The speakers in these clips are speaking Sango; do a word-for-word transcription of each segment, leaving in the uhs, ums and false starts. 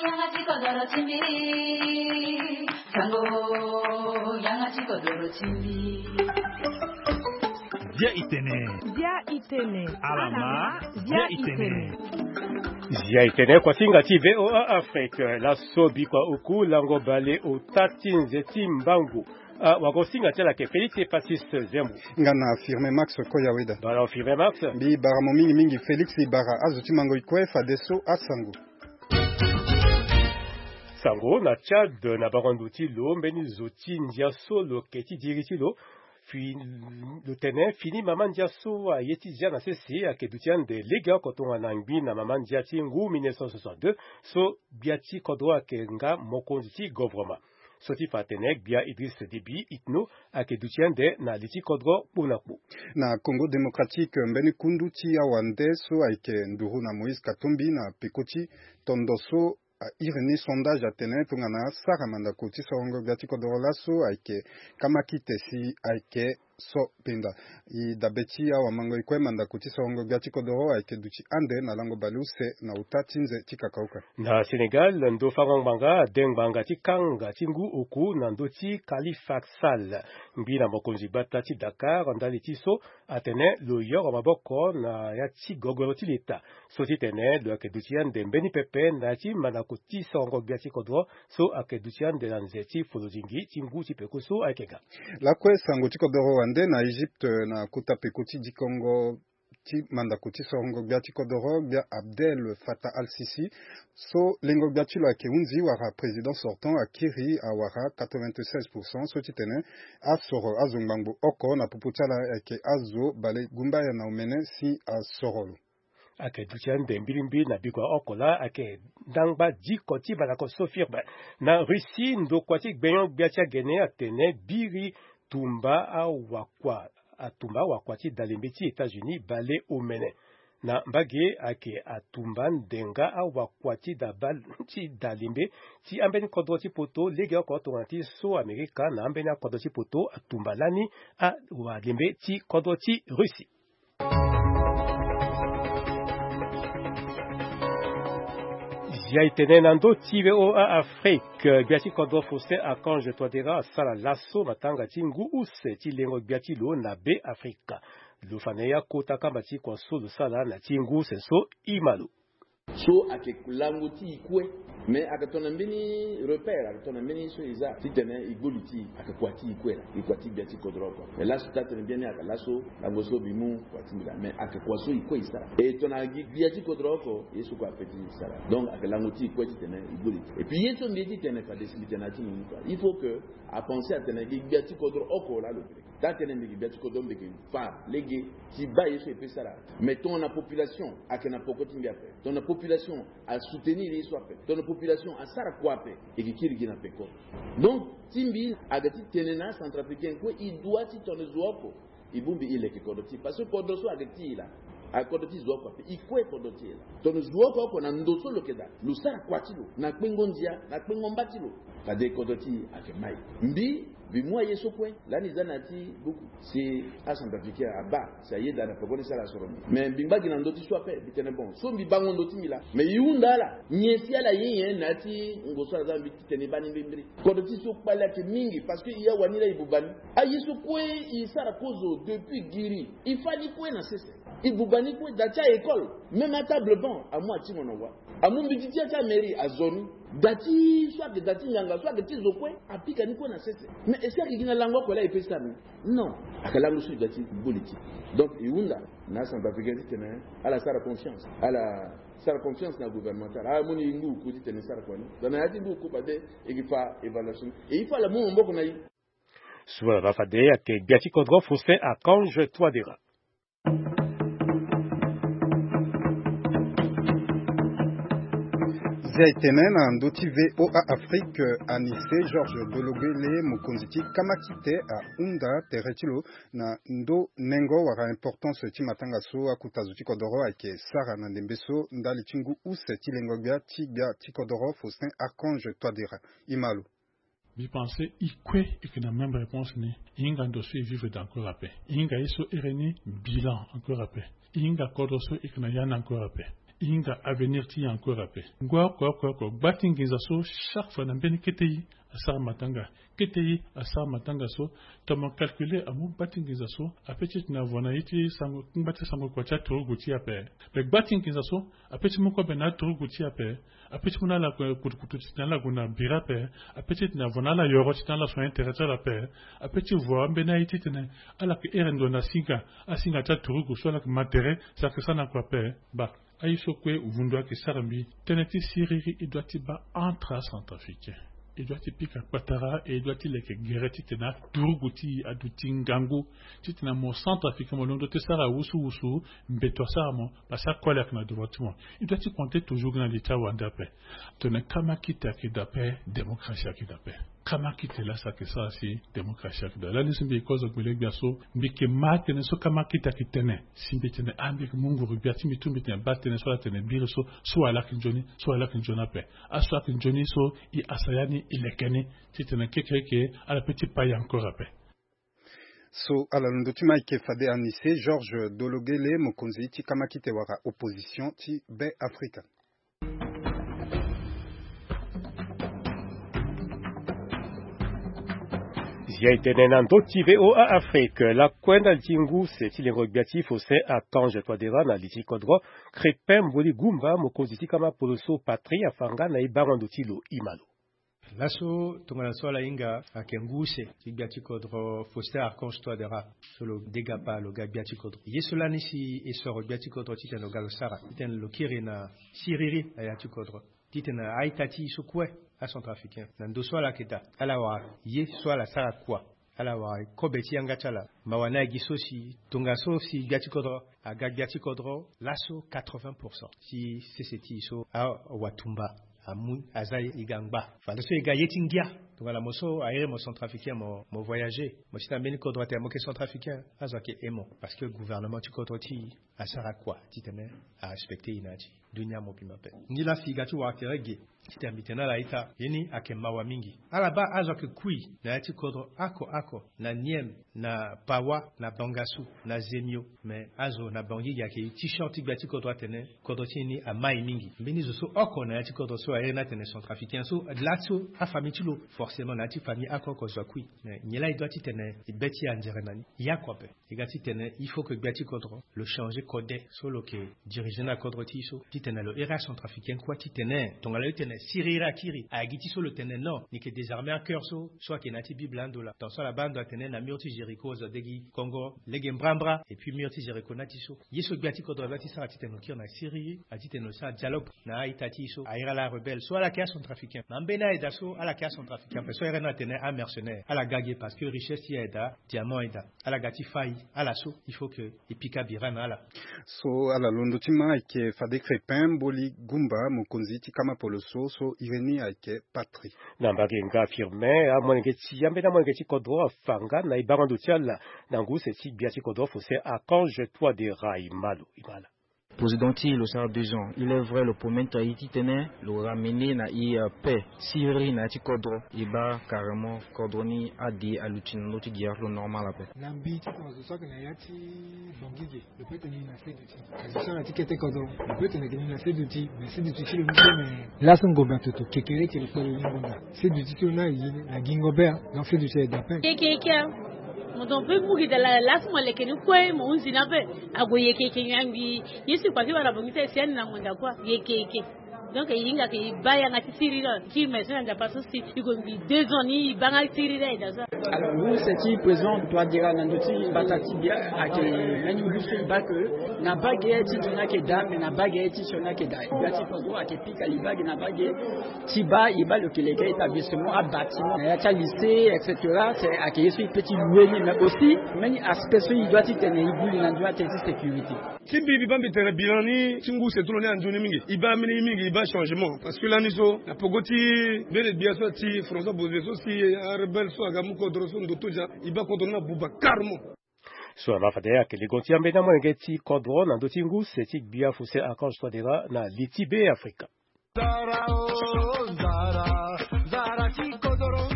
Yanga ti kodoro ti mbi. Sango, yanga ti kodoro ti mbi. Bia itene. Bia itene. Alama. Bia itene. Bia itene. Kuasinga ti V O A Afrique, laso bikua oku lango bale ota ti nze ti mbangu. Ah, wagosinga ti ala ayeke Félix Epacis Zembo. Nga na Firme Max Koyaweda. Bara Firme Max. Mbi bara mo mingi mingi Félix, i bara azo ti mango i kue fadeso asango. Sango na Tchad, na bango ndo ti lo, mbeni zo ti ndia so lo yeke ti diri ti lo. Fi, lo tene fini mama ndia so aye ti zia na sese ayeke duti ande legeoko tongana ngbi na mama ndia ti ngu mille neuf cent soixante-deux, so gbia ti kodro ayeke nga mokonzi ti govoroma. So ti fa atene gbia Idriss Déby Itno ayeke duti ande na li ti kodro kpo na kpo. Na Congo Démocratique, mbeni kundu ti awande so ayeke nduru na Moïse Katumbi na peko ti tondo so a iri ni sondage atene tongana asara mandako ti sorongo gbia ti kodoro laso ayeke kamakite si ayeke so penda. I dabe ti awamango i kue mandako ti sorongo gbia ti kodoro ayeke duti ande na lango baleuse na uta ti nze ti kakauka. Na Sénégal, ndo fango ngbanga ade ngbanga ti kanga ti ngu oku na ndö ti Khalifa Sall, ngbi na mokonzi gbata ti Dakar, ndali ti so atene lo yoro maboko na ya ti gogoro ti leta. So ti tene lo yeke duti ande mbeni pepe na ya ti mandako ti sorongo gbia ti kodro so ayeke duti ande na nze ti folodingi ti ngu ti peko so ayeke ga. Lakue sango ti kodoro wande na Egypte, na kota peko ti dikongo ti mandako ti sorongo gbia ti kodoro, gbia Abdel Fattah al-Sisi, so lengo gbia ti lo ayeke hunzi wala président sortant akiri awara quatre-vingt-seize pour cent, so ti tene asoro azo ngbangbo oko na popo ti ala ayeke azo bale gumbaya na omene si asoro lo. Ayeke duti ande mbilimbili na bikua oko laa ayeke ndangba diko ti mandako so firme. Na Russie, ndokua ti gbenyo-gbia ti agene atene biri tumba awakua, atumba awakua ti dalembe ti États-Unis bale omene. Na mbage ayeke atumba ndenga awakua ti daba, ti dalembe ti ambeni kodro ti poto legeoko tongana ti so Amerika na ambeni akodro ti poto atumba lani awalembe ti kodro ti Russie. Zia itene na ndö ti V O A Afrique, gbia ti kodro Faustin Archange Touadéra asara laso matanga ti ngu use ti lengo gbia ti lo na Be Afrika. Lo fa na ye akota kamba ti kua so lo sara na ti ngu use so. I ma lo. So ayeke lango ti e kue. Mais ayeke tongana mbeni repère, ayeke tongana mbeni so e za titene e gbu li ti e, ayeke kua ti e kue laa, e kua ti gbia ti kodro oko. Mais laso taa tene biani ayeke laso lango so mbi mu kua ti mbi laa, mais ayeke kua so e kue e sara. E tongana gi gbia ti kodro oko, ye so kue ape ti sara. Donc ayeke lango ti e kue titene e gbu li ti e. Et puis ye so mbi ye titene fade si mbi tene na ya ti mbi mu kua, il faut que apenser atene gi gbia ti kodro oko laa lo pe lege. Taa tënë mbi yeke gbia ti kodro, mbi yeke fa lege ti baa ye so e pe sara. Mais tongana population ayeke na peko ti mbi ape, tongana population asoutenir ye so ape, tongana population asara kua ape, e yeke kiri gi na peko. Donc ti mbi ayeke ti tene na acentrafricain kue, e doit ti tongana zo oko e bongbi e leke kodro ti e, parce que kodro so ayeke ti e laa, ayeke kodro ti zo oko ape, e kue kodro ti e laa. Tongana zo oko oko na ndo so lo yeke daa, lo sara kua ti lo na kpengo ndia, na kpengo mba ti lo, fade kodro ti e ayeke mai. Mbi, mbi mu aye so kue lani e za na ya ti buku si acentrafricain abaa si ayeda na peko ni si ala soro mbi. Mais mbi ngba gi na ndö ti so ape, mbi tene bon, so mbi bango ndö ti mbi laa, mais e hunda ala nyen si ala ye nyen na ya ti ngo so ala za na mbi titene e baa ni mbirimbiri. Kodro ti e so kpale ayeke mingi, parce que e awani laa e buba ni. Aye so kue e sara kozo depuis giri, e fâ ni kue na sese. E buba ni kue, daa ti a-école, même atable banc amu atingo na wa. Amu mbeti ti ya ti amairie azo ni. Daa ti so ayeke daa ti ngbanga so ayeke ti zo kue apika ni kue na sese. Mais est-ce que ayeke gi na lango oko laa e pe sara ni? Non. Ayeke lango so e daa ti gbu li ti e. Donc e hunda na acentrafricain titene ala sara confiance, ala sara confiance na gouvernement ti ala, ala mu ni ngu oku titene e sara kua ni. Donc na ya ti ngu oku fade e yeke fa évaluation ni. Et il faut ala mu maboko na e. So ala baa fade ayeke gbia ti kodro Faustin Archange Touadéra. Zia e tene na ndö ti V O A Afrique, Anissé Georges Dologuélé, mokonzi ti kamakite, ahunda tere ti lo na ndö nengo wala importance ti matanga so akota zo ti kodoro ayeke sara na ndembe so ndali ti ngu use ti lengo gbia ti gbia ti kodoro Faustin Archange Touadéra. E ma lo. Mbi pense e kue e yeke na même réponse ni. E hinga ndo so e vivre daa encore ape. E hinga ye so ere ni bilan encore ape. E hinga kodro so e yeke na ya ni encore ape. E hinga avenir ti e encore ape. Ngoi oko oko oko, gba ti nginza so chaque fois na mbeni kete e asara matanga. Kete e asara matanga so, tongana mo calculer amu gba ti nginza so ape ti tene avo na ye ti sango, ngba ti sango kua ti aturugu ti e ape. Me gba ti nginza so ape ti mu kobe na aturugu ti e ape. Ape ti mu na ala kutukutu ti tene ala gue na bira ape. Ape ti tene avo na ala yoro ti tene ala so intérêt ti ala ape. Ape ti vo ambeni aye ti tene ala yeke here ndo na singa, asinga ti aturugu so ala yeke ma tere, si ala yeke sara na kua ape. Ba aye so kue vundu ayeke sara mbi. Tënë ti siriri e doit ti baa entre acentrafricain. E doit ti pika kpatara, e doit ti leke gere ti tene aturugu ti e aduti ngangu ti tene mo centrafricain mo londo ti sara wusuwusu, mbeto asara mo, parce que akoli ayeke na devant ti mo. E doit ti compter toujours gi na li ti awande ape. Tongana kamakite ayeke daa ape, démocratie ayeke daa ape. Kamakite laa si ayeke sara si démocratie ayeke daa. Lani so mbi yeke kozo gbele-gbia so, mbi yeke ma tënë so kamakite ayeke tene. Si mbi tene ah, mbi yeke mu nguru-gbia ti mbi tu mbi tene baa tënë so ala tene biri so, so ala yeke nzoni, so ala yeke nzoni ape. Aso ayeke nzoni so, e asaya ni, e leke ni ti tene kekereke ala pe ti pa e encore ape. So ala londo ti ma ayeke fade Anise Georges Dologele, mokonzi ti kamakite wala opposition ti Be Afrika. Zia e tene na ndö ti V O A Afrique, lakue ndali ti ngu se ti lengo gbia ti Faustin Archange Touadéra na li ti kodro, Crépin Mboli Goumba, mokonzi ti kama poloso Patrie, afa nga na e bango ndo ti lo. Ima lo. Laso tongana so ala hinga ayeke ngu use ti gbia ti kodro Faustin Archange Touadéra, so lo degapa lo ga gbia ti kodro. Ye so lani si e soro gbia ti kodro titene lo ga lo sara, titene lo kiri na siriri na ya ti kodro, titene a-ita ti e so kue acentrafricain, na ndo so ala yeke daa, ala wara ye so ala sara kua, ala wara kobe ti yanga ti ala. Mawa ni agi so si tongaso si gbia ti kodro aga gbia ti kodro laso quatre-vingts pour cent ti sese ti e so awatumba amu aza e ga ngba. Fadeso e ga ye ti ngia. Tongana mo so a iri mo centrafricain, mo, mo voyager, mo si na mbeni kodro atene mo yeke centrafricain, azo ayeke he mo, parce que gouvernement ti kodro ti e asara kua titene arespecter e na ya ti dunia mobimba ape. Ngi laa si e ga ti wara tere ge titene mbi tene na ala ita, ye ni ayeke mawa mingi. Ala baa azo ayeke kui na ya ti kodro oko oko, na Nieme, na Pawa, na Bangassou, na Zemio. Me azo na Bangui ge ayeke e ti short ti gbia ti kodro atene kodro ti e ni amai mingi. Mbeni zo so oko na ya ti kodro so a iri ni atene centrafricain so, laso afamille ti lo, forcément na ya ti famille oko oko zo akui. Me nyen laa e doit titene e be ti e anzere na ni? Ya kua ape. E ga titene il faut que gbia ti kodro lo changer kode so lo yeke diriger na kodro ti e so, titene lo iri acentrafricain kue titene tongana lo tene siriri akiri, agi ti so lo tene non, ni yeke désarmer acœur so, so ayeke na ya ti Bible ando laa. Tant so ala baa ando atene na mur ti Jéricho azo adegi kongo lege mbrambra, et puis mur ti Jéricho na ya ti so. Ye so gbia ti kodro a doit ti sara titene lo kiri na siriri, a titene lo sara dialogue na a-ita ti e so a iri ala arebelle so ala yeke acentrafricain. Na ambeni aye daa so ala yeke acentrafricain ape, so a iri ni atene amercenaire, ala ga ge parce que richesse ti e aye daa, diamant aye daa. Ala ga ti fâ e, ala so il faut que e pika bira na ala. So ala londo ti ma ayeke fade Crépin Mboli Goumba, mokonzi ti kama poloso, so iri ni ayeke Patrie. Na mbage nga Firmin, amolenge ti, ambeni amolenge ti kodro afa nga na e bango ndo ti ala na ngu use ti gbia ti kodro Faustin Archange Touadéra. Ima lo, ima ala. Président ti e lo sara deux ans. Il est vrai, lo promettre e titene lo ramener na e, euh, paix, siriri na ya ti kodro. E baa carrément kodro ni ade aluti na ndö ti guerre, lo normal ape. Na mbi titene azo so ayeke na ya ti Bangui ge, lo peut tene ni na seduti. Azo so ayeke na ya ti kete kodro, lo peut tene ni na seduti. Mais seduti ti lo ni so, mais laso ngombe atoto kekereke lo kpe lo ni ngonda. Seduti ti lo ni aye na gingo be, ah. Donc seduti aye daa ape. Kekereke, ah. Mo don pe mu gi da la, laso mo leke ni kue, mo hunzi ni ape. Ague yeke yeke nyangi. Ye so e kua ti wara Bangui ti e si ani na ngonda kue. Yeke yeke. Donc e hinga ke e baa yanga ti siriri ti me so na Nzapa so si e gue mbi deux ans ni e baa nga siriri aye daa so. Alors ngu use ti président Touadéra na ndö ti mbata ti bia ayeke mbeni ngu so e baa ke na baa ge ti nzoni ayeke daa, mais na baa ge ti sioni ayeke daa. Gbia ti kodro ayeke pika libage na baa ge ti baa e baa lo yeke leke établissement, abâtiment na ya ti alycée, et cetera. C'est ayeke ye so e peut ti louer ni, mais aussi mbeni aspect so e doit ti tene e gbu li na ndö ni atene ti sécurité. Ti mbi, mbi baa mbi tene bilan ni ti ngu use ti lo ni anzoni mingi. E baa mbeni ye mingi, e baa changement. Parce que lani so na peko ti mbeni gbia so ti François Bozé so si arebelle so aga mu kodro so ndoto dia, e baa kodro ni abuba carrément. So na fade ayeke legon ti ambeni amolenge ti kodro na ndö ti ngu use ti gbia Faustin Archange Touadéra na li ti Be Afrika. Nzara, oh, nzara, nzara ti kodro,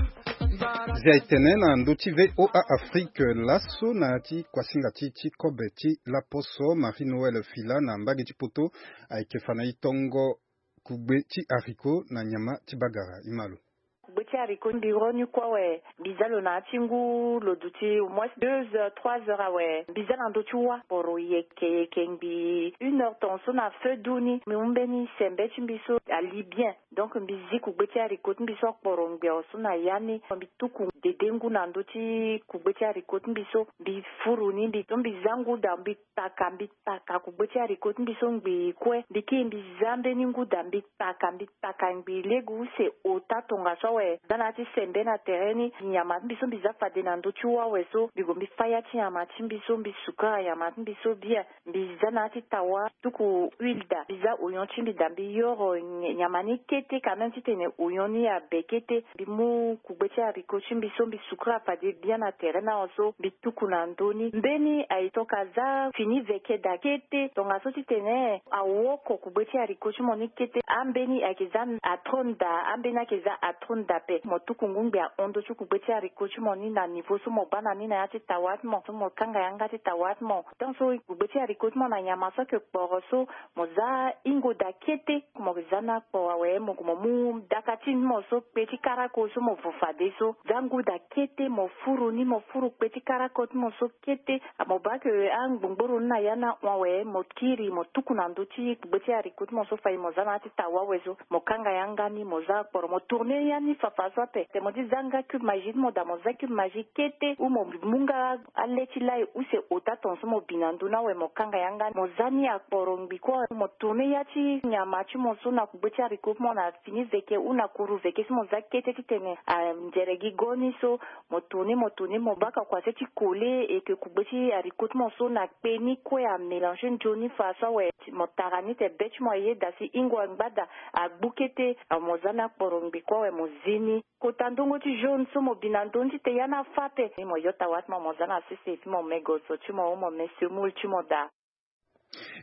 nzara. Zia etene na ndö ti VOA Afrique laso na ya ti kuasinga ti ti kobe ti laposo Marie Noël Fila na mbage ti poto ayeke fa na e tongo kugbe ti haricot na nyama ti bagara. Imalo. Kugbe ti haricot mbi ro ni kue awe, mbi za lo na ya ti ngu lo duti au moins deux heures trois heures awe, mbi za na ndö ti wa poro yeke yeke ngbii une heure tongaso na feu du ni mbi mu mbeni sembe ti mbi so ali bien. Donc mbi zi kugbe ti haricot ti mbi so akporo ngbiao so na ya ni, mbi tuku dede ngu na ndö ti kugbe ti haricot ti mbi so, mbi furu ni mbi so mbi za ngu daa mbi taka mbi taka kugbe ti haricot ti mbi so ngbii kue mbi kiri mbi za mbeni ngu daa mbi taka mbi taka ngbii lege use ota tongaso awe. Za na ya ti sembe na tere ni nyama ti mbi so mbi za fade na ndö ti wa awe so mbi gue mbi fa ya ti nyama ti mbi so mbi sukara nyama ti mbi so bien. Mbi za na ya ti tawa tuku huile daa mbi za oignon ti mbi daa mbi yoro nyama ni kete quand même titene oignon ni abe kete. Mbi mu kugbe ti haricot ti mbi so mbi sukura fade bien na tere ni awe so mbi tuku na ndö ni mbeni aye toka za fini veke daa kete tongaso titene awoko kugbe ti haricot ti mo ni kete ambeni ayeke za atrone daa ambeni ayeke za atrone daa ape mo tuku ngu ngbii ahon ndö ti kugbe ti haricot ti mo ni na niveau so mo baa na ni na ya ti tawa ti mo so mo kanga yanga ti tawa ti mo. Tant so kugbe ti haricot ti mo na nyama so ayeke kporo so mo za hingo daa kete. Mo za ni akporo awe mo gue mo mu daka ti mo so kpe ti karako so mo vo fade so za ngu daa kete mo furu ni mo furu kpe ti karako ti mo so kete. Mo baa ke angbongboro ni na ya ni ahon awe mo kiri mo tuku na ndö ti kugbe ti haricot ti mo so fade mo za na ya ti tawa awe so mo kanga yanga ni mo za akporo mo tourne ya ni fafa so ape. Te mo ti za nga cube magie ti mo daa mo za cube magie kete ou mo mu nga ale ti lai use ota tongaso mo bi na ndö ni awe mo kanga yanga ni mo za ni akporo ngbii kue mo tourne ya ti nyama ti mo so na kugbe ti haricot ti mo na fini veke ou na kuru veke so mo za kete titene anzere gi go ni so. Mo tourne mo tourne mo baka kua se ti kole eke kugbe ti haricot ti mo so na kpe ni kue amélange nzoni fa so awe. Mo tara ni te be ti mo ayeda si hingo angba daa agbu kete. Mo za ni akporo ngbii kue awe mo zi ni kota ndongo ti jaune so mo bi na ndö ni ti te ya ni afa ape. Ni mo yo tawa ti mo mo za na sese ti mo me goso ti mo ou mo me semoule ti mo daa.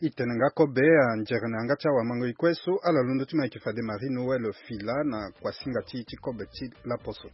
E tene nga kobe anzere na yanga ti awamango e kue so ala londo ti mo ayeke fade Marie Noël Fila na kuasinga ti ti kobe ti laposo.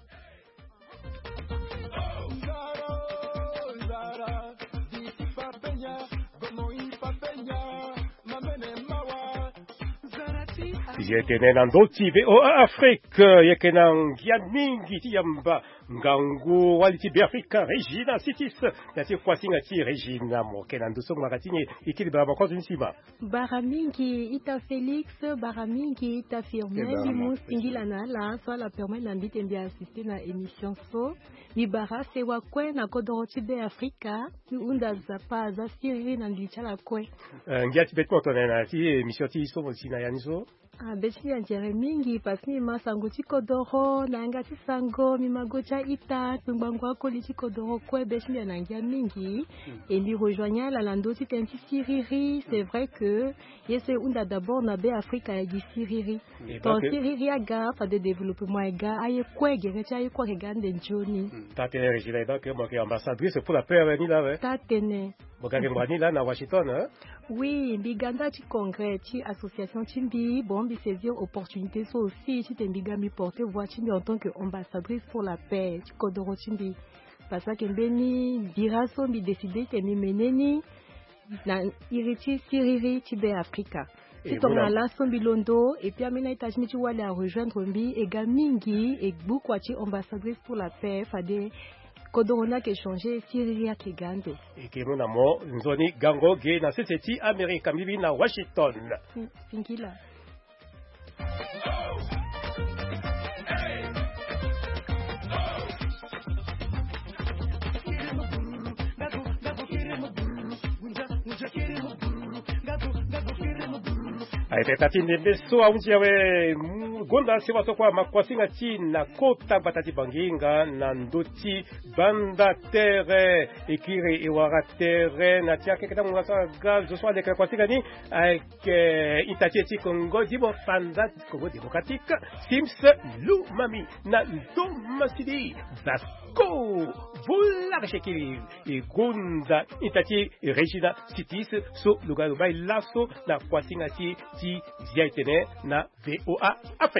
Ye tene na ndö ti VOA Afrique yeke na ngia mingi ti yamba ngangu wali ti Beafrika Regina Sitis na ti kuasinga ti Regina mo ke na ndö so ngaka ti ni. E kiri bara bakozo ni sima. Bara mingi ita Félix, bara mingi ita Firmin. Mbi mu singila na ala so ala permettre na mbi te mbi assister na émission so. Mbi bara sewa kue na kodoro ti Beafrika. Mbi hunda Nzapa aza siriri na ngili ti ala kue. Eh, ngia ti be ti mo tongana na ya ti émission ti so mo si na ya ni so. Ah, be ti mbi anzere mingi parce que mbi ma sango ti kodoro na yanga ti sango mbi ma go ti a-ita kpengbango akoli ti kodoro kue be ti mbi ana ngia mingi. E mbi rejoigne ala na ndö ti tënë ti siriri. C'est vrai que ye so e hunda d'abord na Beafrika ayeke gi siriri. Ton siriri aga fade développement aga aye kue gere ti aye kue ayeke ga ande nzoni. Taa-tënë Regina e baa ke mo yeke ambassadrice pour la paix awe ni laa awe. Taa-tënë. Mo ga yeke ngbanga ni laa na Washington. Oui, mbi ga nda ti congrès ti association ti mbi. Bon, mbi saisir opportunité so aussi titene mbi ga mbi porter voix ti mbi en tant que ambassadrice pour la paix ti kodoro ti mbi. Parce que mbeni bira so mbi décider titene mbi mene ni na iri ti siriri ti Beafrika. Ti tongana laso mbi londo et puis ambeni a-ita ti mbi ti wali arejoindre mbi e ga mingi e gbu kua ti ambassadrice pour la paix fade kodoro ni ayeke changer siriri ayeke ga ande. E ke mu na mo nzoni gango ge na sese ti Amerika mbi bi na Washington. Singila. Ayeke tata ti ndembe so ahunzi awe. Gonda si watokua makuasinga ti na kota gbata ti Banginga na ndö ti banda tere e kiri e wara tere na ti akeke ti angonga so aga zo so aleke na kuasinga ni. Ayeke ita ti e ti kongo dimo fanda kongo démocratique Sims Lumami na ndo masidi. Vasco Volare Shekiri e gonda ita ti Regina Sitis so lo ga lo bai laso na kuasinga ti ti zia etene na VOA Afrique.